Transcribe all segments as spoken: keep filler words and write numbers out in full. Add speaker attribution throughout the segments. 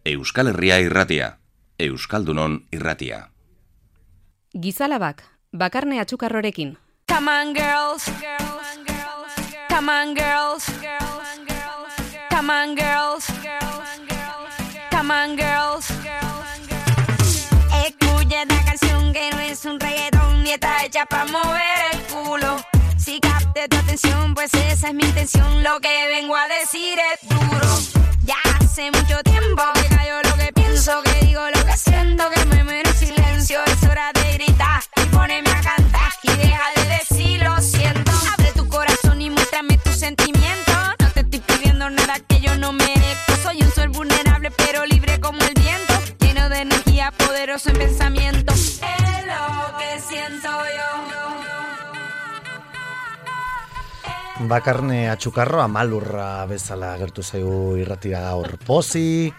Speaker 1: Euskal Herria irratia, Euskaldunon irratia.
Speaker 2: Gizalabak, Bakarne Atxukarrorekin.
Speaker 3: Come on girls, come on girls, come on girls, come on girls. Escucha esta canción que no es un reggaetón ni está hecha para mover el culo. Si capte tu atención, pues esa es mi intención. Lo que vengo a decir es duro. Ya hace mucho tiempo que callo lo que pienso, que digo lo que siento, que me muero en silencio. Es hora de gritar y ponerme a cantar y deja de decir lo siento. Abre tu corazón y muéstrame tus sentimientos. No te estoy pidiendo nada que yo no merezco. Soy un ser vulnerable pero libre como el viento, lleno de energía, poderoso en pensamiento. Es lo que siento yo.
Speaker 4: Bakarne Atxukarro amalurra bezala agertu zaigu irratira gaur. Pozik,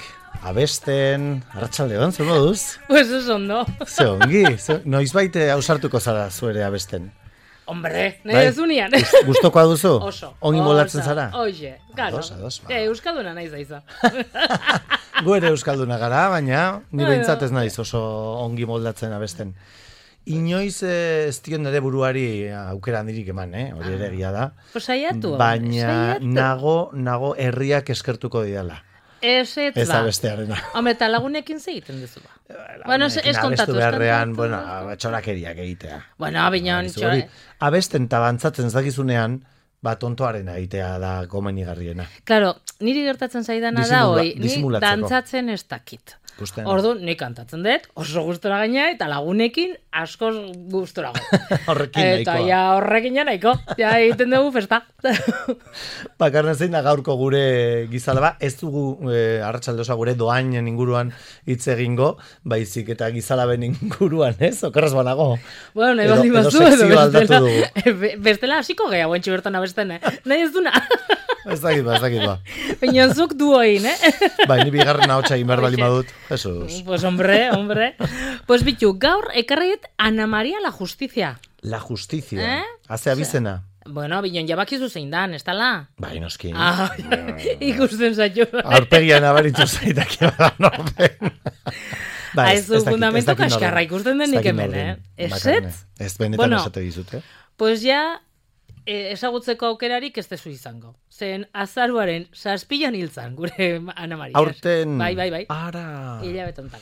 Speaker 4: abesten, arratsaldeon, zer moduz?
Speaker 5: Pues eso ondo.
Speaker 4: Ze ongi, ze, noizbait ausartuko zara zuere abesten.
Speaker 5: Hombre, nahi ez unian.
Speaker 4: Gustokoa duzu?
Speaker 5: Oso.
Speaker 4: Ongi molatzen zara?
Speaker 5: Oixe, claro.
Speaker 4: Ados, ados, ba.
Speaker 5: Eh, Euskalduna naiz aiza.
Speaker 4: Gu ere Euskalduna gara, baina ni behintzat ez naiz oso ongi moldatzen abesten. Inoiz ez dion nire buruari aukera handirik eman, eh? Hori ere egia da.
Speaker 5: Pues saiatu.
Speaker 4: Baina
Speaker 5: saiatu.
Speaker 4: nago, nago herriak eskertuko didala.
Speaker 5: Ez ez
Speaker 4: Ez
Speaker 5: ba.
Speaker 4: abestearena.
Speaker 5: Hombre, eta lagunekin segiten duzu ba. Bueno, ez ez kontatu.
Speaker 4: Abestu beharrean, bueno, txorakeriak egitea.
Speaker 5: Bueno, bineon,
Speaker 4: Hori, hori, abesten eta bantzatzen ez dakizunean, ba, tontoaren egitea da komenigarriena.
Speaker 5: Claro, niri gertatzen zaidana da,
Speaker 4: Disimula-
Speaker 5: hoi, ni
Speaker 4: disimulatzeko.
Speaker 5: dantzatzen ez dakit.
Speaker 4: Ikusten.
Speaker 5: Ordu, nik kantatzen dut, oso gustora gaina, eta lagunekin askoz gustorago.
Speaker 4: Horrekin
Speaker 5: Eta
Speaker 4: nahikoa.
Speaker 5: ja horrekin ja nahiko, ja egiten dugu festa.
Speaker 4: Bakarren zein da gaurko gure gizalaba, ez dugu e, arratsalde osoa gure doainen inguruan hitz egingo, baizik eta gizalaben inguruan, ez? Okerraz banago.
Speaker 5: Bueno, nahi
Speaker 4: Edo-
Speaker 5: baldin
Speaker 4: edo
Speaker 5: bazu, edo
Speaker 4: sekzio aldatu
Speaker 5: bestela, be- bestela hasiko gea guentxi bertan abesten, eh? Nahi ez duna.
Speaker 4: Ez dakit ba, ez dakit ba.
Speaker 5: Baina zuk du hoin, eh?
Speaker 4: Bai, ni bigarren ahotsa egin behar bali
Speaker 5: Hoxe.
Speaker 4: badut. Jesus.
Speaker 5: Pues hombre, hombre. Pues bitu, gaur ekarriet Ana Maria la Justicia.
Speaker 4: La justizia.
Speaker 5: Eh?
Speaker 4: Haze abizena.
Speaker 5: Bueno, bineon jabakizu zein dan, ez tala?
Speaker 4: Bai, noski.
Speaker 5: Ah, ikusten zaitu.
Speaker 4: Aurpegian abaritu zaitak da norben.
Speaker 5: Ah, ez du fundamento kaskarra ikusten denik hemen, eh? Ez ez?
Speaker 4: Ez benetan
Speaker 5: Bueno.
Speaker 4: esate dizut, eh?
Speaker 5: Pues ja, eh, ezagutzeko aukerarik ez dezu izango. Zen azaruaren zazpilan hiltzan, gure Ana Maria.
Speaker 4: Aurten...
Speaker 5: Bai, bai, bai.
Speaker 4: Ara...
Speaker 5: Hilabetontan.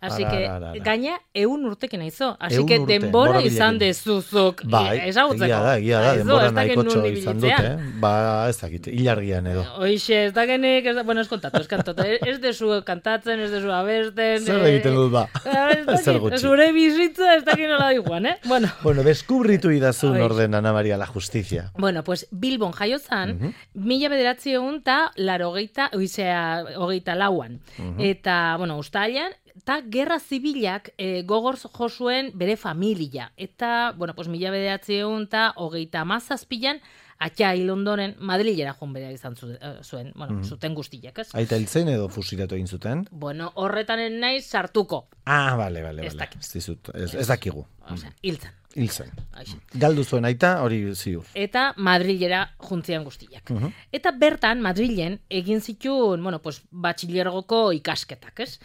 Speaker 5: Así
Speaker 4: Ara,
Speaker 5: que,
Speaker 4: ara, ara.
Speaker 5: gaina, eun urtekin aizo. Así
Speaker 4: Ehun
Speaker 5: que
Speaker 4: urte,
Speaker 5: denbora
Speaker 4: borobilekin.
Speaker 5: izan dezuzuk
Speaker 4: Bai,
Speaker 5: ezagutzeko.
Speaker 4: egia da, egia da,
Speaker 5: Aizu,
Speaker 4: denbora
Speaker 5: ez dakit
Speaker 4: nahikotxo
Speaker 5: non
Speaker 4: izan dut,
Speaker 5: ibilitzean.
Speaker 4: eh? Ba, ez dakit, hilargian edo.
Speaker 5: Hoixe, ez dakenik, ez da, bueno, ez kontatu, ez kantatu. Ez dezu kantatzen, ez dezu abesten.
Speaker 4: Zer
Speaker 5: eh,
Speaker 4: egiten dut ba?
Speaker 5: ez dakit,
Speaker 4: Zer gutxi.
Speaker 5: Zure bizitza ez dakit nola diguan, eh? Bueno.
Speaker 4: Bueno, deskubritu idazun
Speaker 5: Hoixe.
Speaker 4: orden Ana Maria la Justizia.
Speaker 5: Bueno, pues Bilbon jaiotzan, mila bederatzi egun eta larogeita, oizea, hogeita lauan. Eta, bueno, ustailan, eta gerra zibilak e, gogor jo zuen bere familia. Eta, bueno, pues mila bederatzi egun eta hogeita mazazpilan, atxa hil ondoren Madrilera joan bera izan zu- eh, zuen, bueno, zuten guztiak, ez?
Speaker 4: Aita hiltzen edo fusilatu egin zuten?
Speaker 5: Bueno, horretan naiz sartuko.
Speaker 4: Ah, bale, bale,
Speaker 5: Ez
Speaker 4: bale.
Speaker 5: dakit.
Speaker 4: Ez dizut, ez, ez dakigu.
Speaker 5: Osea, hiltzen.
Speaker 4: Hiltzen.
Speaker 5: Aixe.
Speaker 4: Galdu zuen aita, hori ziur.
Speaker 5: Eta Madrilera juntzian guztiak. Eta bertan, Madrilen, egin zituen, bueno, pues, batxilergoko ikasketak, ez?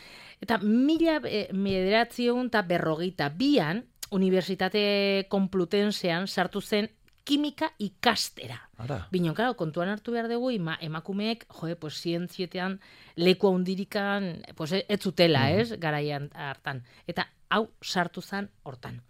Speaker 5: Eta mila eh, bederatziehun eta berrogeita bian, Unibertsitate Komplutensean sartu zen kimika ikastera.
Speaker 4: Ara.
Speaker 5: Binon, claro, kontuan hartu behar dugu, ima, emakumeek, joe, pues, zientzietean leku handirikan, pues, ez zutela, ez, garaian hartan. Eta hau sartu zen hortan.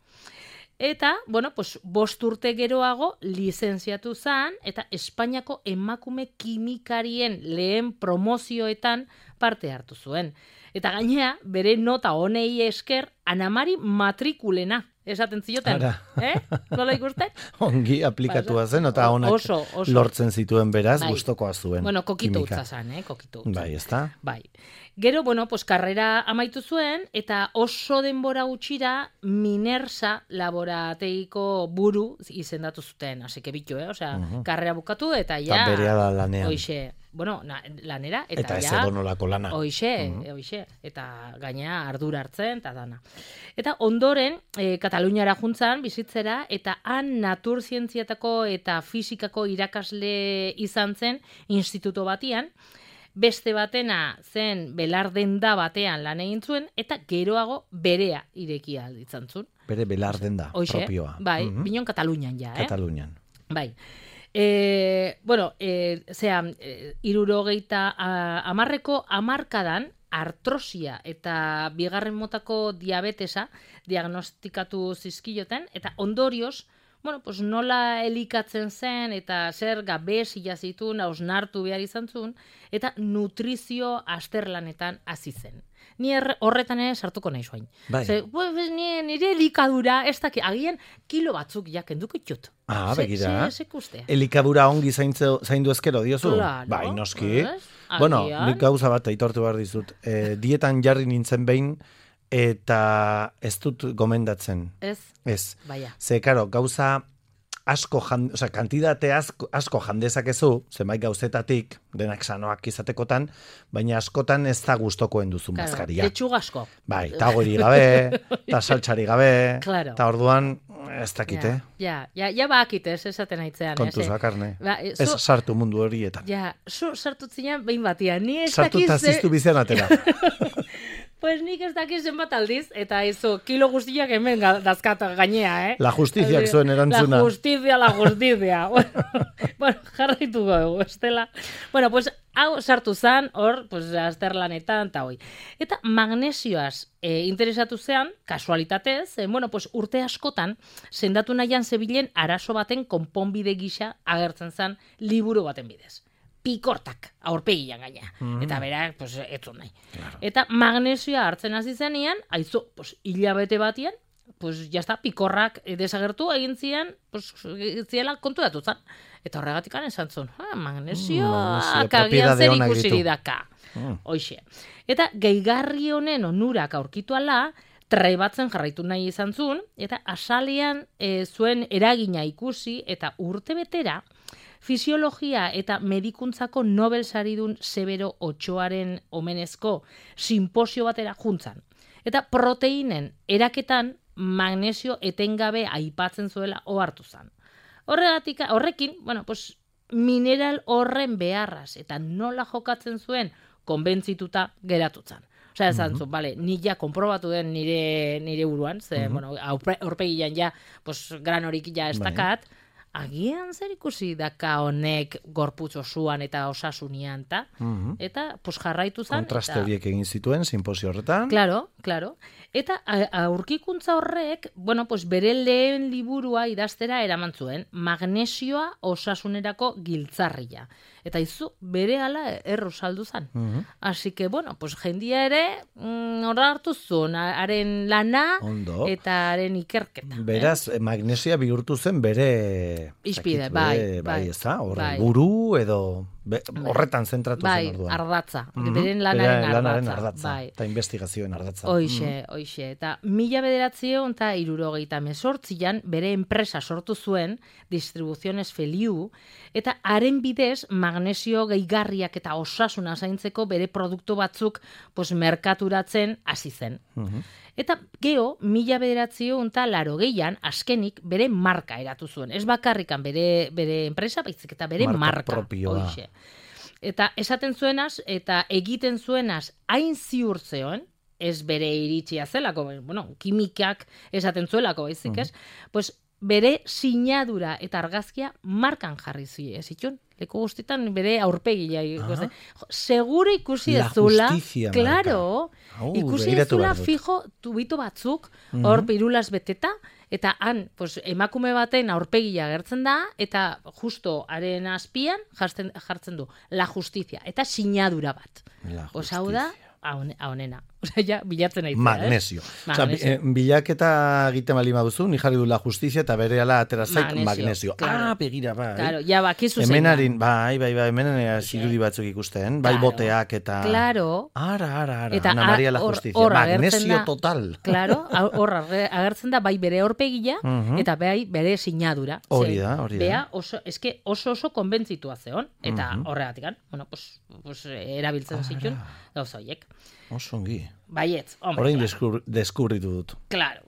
Speaker 5: Eta, bueno, pues, bost urte geroago lizenziatu zen, eta Espainiako emakume kimikarien lehen promozioetan parte hartu zuen. Eta gainea, bere nota honei esker, Ana Mari matrikulena esaten zioten.
Speaker 4: Ara.
Speaker 5: Eh? Nola ikusten?
Speaker 4: Ongi aplikatua zen, eta honak
Speaker 5: Oso, oso.
Speaker 4: lortzen zituen beraz,
Speaker 5: Bai.
Speaker 4: gustokoa zuen.
Speaker 5: Bueno, kokitu
Speaker 4: kimika.
Speaker 5: utza zan, eh? Kokitu utza.
Speaker 4: Bai, ezta?
Speaker 5: Bai. Gero, bueno, pues karrera amaitu zuen, eta oso denbora gutxira Minersa laborategiko buru izendatu zuten. Así que bitu, eh? Osea, karrera bukatu, eta ja...
Speaker 4: Eta berehala lanean.
Speaker 5: Hoixe, bueno, na, lanera, eta,
Speaker 4: Eta ez
Speaker 5: ja...
Speaker 4: edonolako lana.
Speaker 5: Hoixe, hoixe, eta gaina ardura hartzen, eta dana. Eta ondoren, e, Kataluniara juntzan, bizitzera, eta han naturzientziatako eta fisikako irakasle izan zen instituto batian, beste batena zen belardenda batean lan egin zuen, eta geroago berea irekia alditzen zuen.
Speaker 4: Bere belardenda
Speaker 5: Hoxe,
Speaker 4: propioa.
Speaker 5: bai,
Speaker 4: Mhm.
Speaker 5: binon Katalunian ja, eh?
Speaker 4: Katalunian.
Speaker 5: Bai. E, bueno, e, zera, e, irurogeita amarreko amarkadan artrosia eta bigarren motako diabetesa diagnostikatu zizkioten, eta ondorioz, bueno, pues nola elikatzen zen, eta zer gabezia zituen, hausnartu behar izan zuen, eta nutrizio azterlanetan hasi zen. Ni erre, horretan ere sartuko nahi zuain.
Speaker 4: Bai.
Speaker 5: Ze, pues, ni, nire elikadura, ez da, agian kilo batzuk jakenduko itut.
Speaker 4: Ah,
Speaker 5: Ze-
Speaker 4: begira.
Speaker 5: ze- Zekustea.
Speaker 4: Elikabura ongi zaintze, zaindu ezkero diozu?
Speaker 5: Claro,
Speaker 4: Bai, noski.
Speaker 5: ez?
Speaker 4: Bueno,
Speaker 5: Agian.
Speaker 4: nik gauza bat aitortu behar dizut. E, dietan jarri nintzen behin, eta ez dut gomendatzen.
Speaker 5: Ez,
Speaker 4: Ez.
Speaker 5: baia.
Speaker 4: Ze, karo, gauza asko, jan, oza, kantidate asko, asko jandezakezu, zenbait gauzetatik, denak sanoak izatekotan, baina askotan ez da gustokoen duzun
Speaker 5: Claro,
Speaker 4: bazkaria.
Speaker 5: lechugasko.
Speaker 4: Bai, eta gori gabe, eta saltxari gabe,
Speaker 5: Claro.
Speaker 4: eta orduan, ez dakite,
Speaker 5: Ja, ja, ja bakit ez, esaten aitzean.
Speaker 4: kontuz
Speaker 5: ez, eh?
Speaker 4: bakarne.
Speaker 5: Ba, e,
Speaker 4: Ez
Speaker 5: zu-
Speaker 4: sartu mundu horietan.
Speaker 5: Ja, zu sartu zinean behin batian. Ni ez
Speaker 4: Sartu
Speaker 5: dakiz
Speaker 4: eta
Speaker 5: ze-
Speaker 4: ziztu bizian atera.
Speaker 5: Pues nik ez dakiz zenbat aldiz, eta izo, kilo guztiak hemen ga- dazkata gainea, eh?
Speaker 4: La justiziak zuen erantzuna.
Speaker 5: La justizia, la justizia. Bueno, jarraituko dugu, estela. Bueno, pues, hau sartu zan, hor, pues, azterlanetan, eta hoi. Eta magnesioaz e, interesatu zean, kasualitatez, e, bueno, pues, urte askotan, sendatu nahian zebilen arazo baten konponbide gisa agertzen zan liburu baten bidez. Pikortak, aurpegian gaina. Eta berak, pues, etzun nahi. Eta magnesioa hartzen hasi zenean, aizu, pues, hilabete batian, pues, jazta, pikorrak eh, desagertu egin zian, pues, ziela konturatu zan. Eta horregatik esan zuen, ah, magnesioa,
Speaker 4: magnesio,
Speaker 5: agian
Speaker 4: propiedade
Speaker 5: zer
Speaker 4: onak
Speaker 5: ikusiri
Speaker 4: ditu.
Speaker 5: daka.
Speaker 4: Mm.
Speaker 5: Hoxe. Eta gehigarri honen onurak aurkitu ala, trebatzen jarraitu nahi izan zuen, eta asalian e, zuen eragina ikusi, eta urte betera, fisiologia eta medikuntzako Nobel saridun Severo Ochoaren omenezko simposio batera juntzan. Eta proteinen eraketan magnesio etengabe aipatzen zuela ohartu zan. Horregatik, horrekin, bueno, pues, mineral horren beharraz eta nola jokatzen zuen konbentzituta geratutzan. Osea, esan zuen, bale, ni ja konprobatu den nire, nire buruan, ze, bueno, aurpe- aurpegian ja, pues, gran horik ja ez
Speaker 4: Bai.
Speaker 5: dakat, agian zer ikusi daka honek gorputz osuan eta osasunian, ta?
Speaker 4: Mhm.
Speaker 5: Eta, pues, jarraitu zan.
Speaker 4: Kontraste
Speaker 5: eta-
Speaker 4: horiek egin zituen, simposio horretan.
Speaker 5: Claro, claro. Eta a- aurkikuntza horrek, bueno, pues bere lehen liburua idaztera eraman zuen, magnesioa osasunerako giltzarria. Eta izu, bere ala erro saldu zan. Así que, bueno, pues jendia ere, mm, horra hartu zuen, haren lana
Speaker 4: Ondo.
Speaker 5: eta haren ikerketa.
Speaker 4: Beraz, magnesia bihurtu zen bere...
Speaker 5: Hizpide,
Speaker 4: zakit,
Speaker 5: bai,
Speaker 4: bere,
Speaker 5: bai,
Speaker 4: bai, ez da? Horre,
Speaker 5: bai.
Speaker 4: buru edo... Be, horretan zentratu
Speaker 5: Bai,
Speaker 4: zen orduan.
Speaker 5: ardatza.
Speaker 4: Mhm.
Speaker 5: Beren lanaren
Speaker 4: Bere
Speaker 5: ardatza.
Speaker 4: lanaren ardatza.
Speaker 5: Bai.
Speaker 4: Eta investigazioen ardatza.
Speaker 5: Hoixe, hoixe. Eta mila bederatziehun eta hirurogeita hemezortzian bere enpresa sortu zuen, Distribuciones Feliu, eta haren bidez magnesio gehigarriak eta osasuna zaintzeko bere produktu batzuk pues, merkaturatzen hasi zen. Eta geho, mila bederatziehun eta larogeian, azkenik bere marka eratu zuen. Ez bakarrikan bere, bere enpresa, baizik eta bere
Speaker 4: Marka
Speaker 5: marka.
Speaker 4: propioa.
Speaker 5: Hoixe. Eta esaten zuenaz, eta egiten zuenaz, hain ziur zeon, ez bere iritsia zelako, bueno, kimikak esaten zuelako, baizik ez, pues bere sinadura eta argazkia markan jarri zi, ez itxun? Leku guztitan bere aurpegia.
Speaker 4: Ah.
Speaker 5: Seguro ikusi
Speaker 4: La
Speaker 5: ez zula.
Speaker 4: Justicia
Speaker 5: Claro.
Speaker 4: Au,
Speaker 5: Ikusi ez
Speaker 4: begiratu
Speaker 5: zula
Speaker 4: behar dut.
Speaker 5: fijo tubito batzuk, hor pirulaz beteta, eta han, pues, emakume baten aurpegia gertzen da, eta justo haren azpian jartzen, jartzen du, la justizia, eta sinadura bat.
Speaker 4: La
Speaker 5: Pues hau da, haun- haunena. Osea, ja, bilatzen nahi.
Speaker 4: Magnesio. Osea,
Speaker 5: Magnesio.
Speaker 4: eh, bilaketa egiten bali baduzu, ni jarri du la justizia eta berehala atera zaik
Speaker 5: Magnesio,
Speaker 4: magnesio.
Speaker 5: claro.
Speaker 4: Ah, begira, bai.
Speaker 5: Claro, ja bakizu zein da.
Speaker 4: Hemenarin, bai, bai, bai, hemenan zirudi batzuk ikusten, bai
Speaker 5: Claro.
Speaker 4: boteak eta...
Speaker 5: Claro.
Speaker 4: Ara, ara, ara,
Speaker 5: Eta
Speaker 4: Ana Maria la
Speaker 5: hor-
Speaker 4: Justizia,
Speaker 5: hor agertzen
Speaker 4: magnesio
Speaker 5: da-
Speaker 4: total.
Speaker 5: Claro, hor ager- agertzen da bai bere aurpegia
Speaker 4: Mhm.
Speaker 5: eta bai bere sinadura.
Speaker 4: Hori
Speaker 5: Ze,
Speaker 4: da, hori da.
Speaker 5: Bea oso, eske oso oso konbentzitua zeon, eta horregatikan, bueno, pues, pues erabiltzen zituen gauza horiek.
Speaker 4: Oso ongi.
Speaker 5: Baietz, hombre,
Speaker 4: Orain
Speaker 5: claro.
Speaker 4: deskur, deskubritu dut.
Speaker 5: Claro.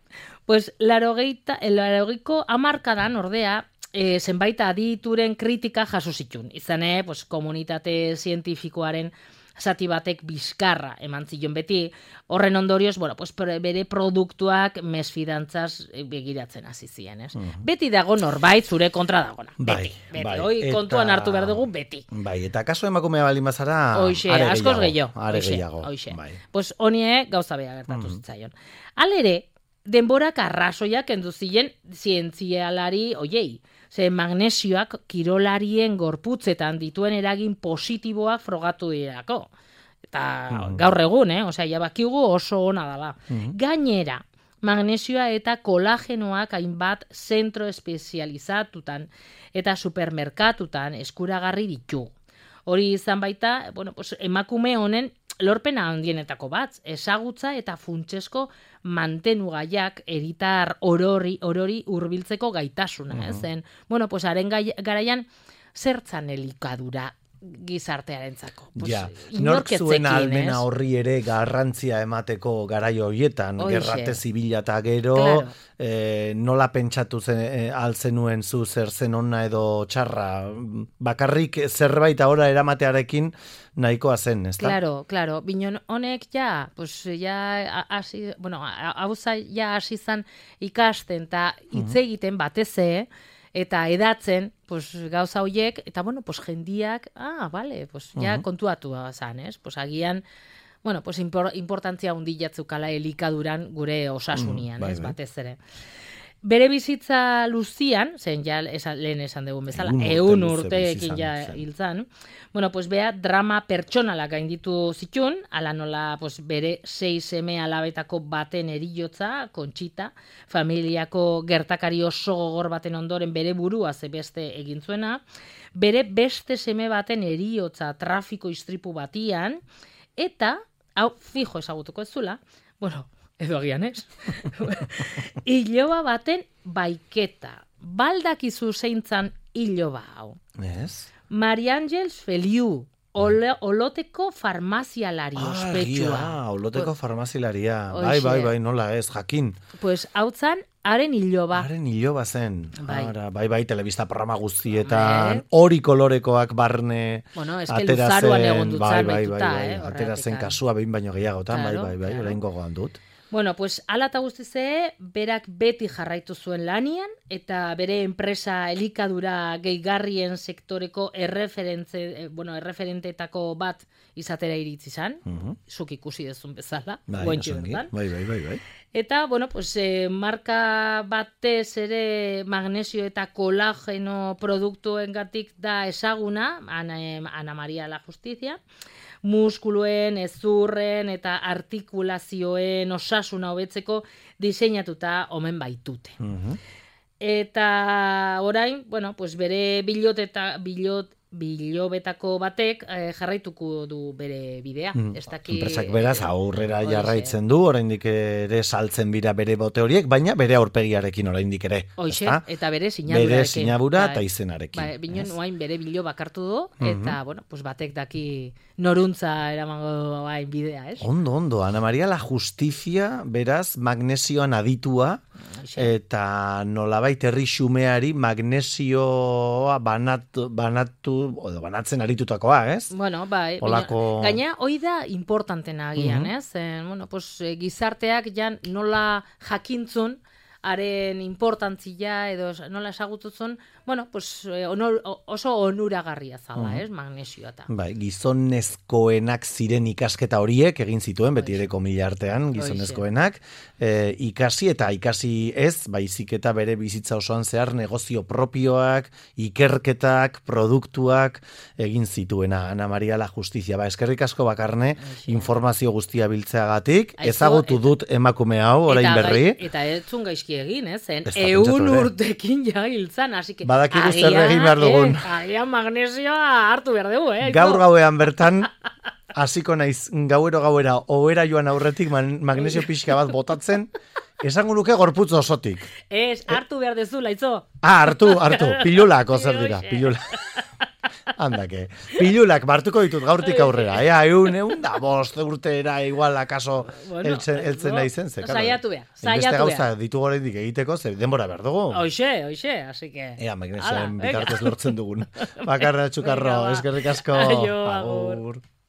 Speaker 5: Pues larogeita, larogeiko hamarkadan ordea, e, zenbait adituren kritika jaso zituen. Izan, eh, pues, komunitate zientifikoaren zati batek bizkarra eman zion beti, horren ondorioz, bueno, pues bere produktuak mesfidantzaz begiratzen hasi ziren, ez? Mm. Beti dago norbait zure kontra dagona.
Speaker 4: Bai,
Speaker 5: beti, beti.
Speaker 4: Bai.
Speaker 5: Hoi
Speaker 4: Eta...
Speaker 5: kontuan hartu behar dugu beti.
Speaker 4: Bai, eta kaso emakumea baldin bazara,
Speaker 5: Hoxe,
Speaker 4: are
Speaker 5: askoz
Speaker 4: gehiago.
Speaker 5: gehiago.
Speaker 4: Are
Speaker 5: Hoxe,
Speaker 4: gehiago.
Speaker 5: hoxe.
Speaker 4: Bai.
Speaker 5: Pues honie gauza bea gertatu
Speaker 4: Mm.
Speaker 5: zitzaion. Halere, denborak arrazoiak kendu ziren zientzialari oiei. Ze magnesioak kirolarien gorputzetan dituen eragin positiboak frogatu dirako. Eta
Speaker 4: Mm.
Speaker 5: gaur egun, eh? Osea, ja bakigu oso ona dala.
Speaker 4: Mm.
Speaker 5: Gainera, magnesioa eta kolagenoak hainbat zentro espezializatutan eta supermerkatutan eskuragarri ditu. Hori izan baita, bueno, pues, emakume honen lorpena handienetako bat, ezagutza eta funtsesko mantenugaiak eritar orori, orori hurbiltzeko gaitasuna, uh -huh. zen. Bueno, pues haren gai, garaian zertzan elikadura gizartearentzako. Pues,
Speaker 4: ja,
Speaker 5: inork
Speaker 4: nork
Speaker 5: ez
Speaker 4: zuen
Speaker 5: zekien,
Speaker 4: almena
Speaker 5: ez?
Speaker 4: horri ere garrantzia emateko garaio horietan,
Speaker 5: Hoxe.
Speaker 4: gerrate zibila eta gero,
Speaker 5: Claro.
Speaker 4: eh, nola pentsatu zen, eh, alzenuen zu zer zen ona edo txarra, bakarrik zerbait ahora eramatearekin nahikoa zen, ezta?
Speaker 5: Claro, claro, binon honek ja, pues ja hasi, bueno, hau ja hasi zan ikasten eta hitz egiten batez ere, eta edatzen, pues, gauza hoiek, eta bueno, pues, jendiak, ah, vale, pues, ja
Speaker 4: Uh-huh.
Speaker 5: kontuatu zan, ez? Pues, agian, bueno, pues, impor, importantzia hundilatzukala elikaduran gure osasunian,
Speaker 4: bai,
Speaker 5: ez,
Speaker 4: bai.
Speaker 5: batez ere. Bere bizitza luzian, zen ja esan, lehen esan dugun bezala,
Speaker 4: Ehun urte
Speaker 5: ehun
Speaker 4: luze
Speaker 5: urteekin
Speaker 4: bizi
Speaker 5: ja
Speaker 4: izan, zen.
Speaker 5: hil zan, bueno, pues, bea drama pertsonala gainditu zitun, ala nola, pues, bere sei seme alabetako baten eriotza, Kontxita, familiako gertakari oso gogor baten ondoren bere burua zebeste egin zuena, bere beste seme baten eriotza trafiko istripu batian, eta, hau, fijo ezagutuko ez zula, bueno, edo agian ez, iloba baten baiketa. Baldakizu zeintzan iloba hau.
Speaker 4: Ez?
Speaker 5: Mari Angels Feliu, ole, oloteko farmazialari
Speaker 4: Ah,
Speaker 5: ospetsua.
Speaker 4: egia, oloteko farmazilaria.
Speaker 5: Hoxe.
Speaker 4: Bai, bai, bai, nola ez, jakin.
Speaker 5: Pues hau zan, haren iloba.
Speaker 4: Haren iloba zen.
Speaker 5: Bai.
Speaker 4: Ara, bai, bai, telebista programa guztietan,
Speaker 5: Hombre.
Speaker 4: hori kolorekoak barne
Speaker 5: Bueno, es que
Speaker 4: atera
Speaker 5: luzaroan
Speaker 4: zen,
Speaker 5: egon dut
Speaker 4: bai,
Speaker 5: zan
Speaker 4: bai, bai,
Speaker 5: bahituta,
Speaker 4: bai,
Speaker 5: eh,
Speaker 4: atera zen
Speaker 5: horregatik.
Speaker 4: kasua behin baino gehiagotan,
Speaker 5: Claro,
Speaker 4: bai, bai, bai,
Speaker 5: claro.
Speaker 4: orain gogoan dut.
Speaker 5: Bueno, pues ala eta guztize, berak beti jarraitu zuen lanian, eta bere enpresa elikadura gehigarrien sektoreko erreferentze, eh, bueno, erreferenteetako bat izatera iritsi zan,
Speaker 4: Mhm.
Speaker 5: zuk ikusi dezun bezala,
Speaker 4: Bai,
Speaker 5: guaintxe
Speaker 4: oso ongi.
Speaker 5: bertan.
Speaker 4: Bai, bai, bai, bai.
Speaker 5: Eta, bueno, pues, eh, marka batez ere magnesio eta kolageno produktuengatik da ezaguna, Ana, eh, Ana Maria la Justizia, muskuluen, ezurren eta artikulazioen osasuna hobetzeko diseinatuta omen baitute.
Speaker 4: Mhm.
Speaker 5: Eta orain, bueno, pues bere bilot eta bilot bilobetako batek eh, jarraituko du bere bidea.
Speaker 4: Mm.
Speaker 5: Ez daki,
Speaker 4: Enpresak beraz aurrera
Speaker 5: Hoxe.
Speaker 4: jarraitzen du, oraindik ere saltzen bira bere bote horiek, baina bere aurpegiarekin oraindik ere.
Speaker 5: Hoxe,
Speaker 4: ezta?
Speaker 5: eta bere sinadurarekin.
Speaker 4: Bere sinadura
Speaker 5: Bai.
Speaker 4: eta izenarekin.
Speaker 5: Bai, binon
Speaker 4: ez?
Speaker 5: oain bere bilo bakartu du, eta, bueno, pues batek daki noruntza eramango bain bidea, ez?
Speaker 4: Ondo, ondo, Ana Maria la Justizia, beraz, magnesioan aditua,
Speaker 5: Hoxe.
Speaker 4: eta nolabait herri xumeari magnesioa banatu, banatu, edo banatzen aritutakoa, ez?
Speaker 5: Bueno, bai,
Speaker 4: Olako-
Speaker 5: baina- gaina hoi da importantena agian,
Speaker 4: Mhm.
Speaker 5: ez? Eh, bueno, pues, eh, gizarteak jan nola jakintzun, haren importantzia edo nola esagututzun, bueno, pues, eh, onor, oso onuragarria zala,
Speaker 4: Mhm.
Speaker 5: ez? Magnesioa eta.
Speaker 4: Bai, gizonezkoenak ziren ikasketa horiek egin zituen, beti ere komila artean, gizonezkoenak, e, ikasi eta ikasi ez, baizik eta bere bizitza osoan zehar negozio propioak, ikerketak, produktuak egin zituena Ana Maria la Justizia. Ba, eskerrik asko Bakarne,
Speaker 5: Hoxe.
Speaker 4: informazio guztia biltzeagatik,
Speaker 5: Aizu,
Speaker 4: ezagutu
Speaker 5: eta-
Speaker 4: dut emakume hau, orain
Speaker 5: Eta
Speaker 4: berri.
Speaker 5: gai- Eta ez zun gaizki egin, ez? Zen,
Speaker 4: Ez da pentsatu
Speaker 5: eun
Speaker 4: ere.
Speaker 5: urtekin ja hiltzan, así que...
Speaker 4: Badakigu zer
Speaker 5: agian,
Speaker 4: egin behar dugun.
Speaker 5: Eh, agian magnesioa hartu behar dugu, eh?
Speaker 4: Gaur gauean bertan, hasiko naiz gauero gauera, ohera joan aurretik man- magnesio pixka bat botatzen, esango nuke gorputz osotik.
Speaker 5: Ez, hartu behar dezu, laitzo.
Speaker 4: Ah, hartu, hartu, pilulako zer dira,
Speaker 5: Hoxe.
Speaker 4: pilula. Handake, pilulak martuko ditut gaurtik aurrera, ea, eun, eun, da, bost urtera, igual, akaso,
Speaker 5: Bueno,
Speaker 4: eltzen, eltzen
Speaker 5: no,
Speaker 4: nahi zen, ze, claro.
Speaker 5: saiatu behar,
Speaker 4: Beste
Speaker 5: saiatu
Speaker 4: gauza
Speaker 5: behar.
Speaker 4: ditu oraindik egiteko, zer denbora behar dugu.
Speaker 5: Hoxe, hoxe, así que...
Speaker 4: Ea, magnesioen
Speaker 5: Hala, venga.
Speaker 4: bitartez lortzen dugun. Bakarra txukarro,
Speaker 5: Venga, ba.
Speaker 4: eskerrik asko.
Speaker 5: Aio, agur.
Speaker 4: Agur.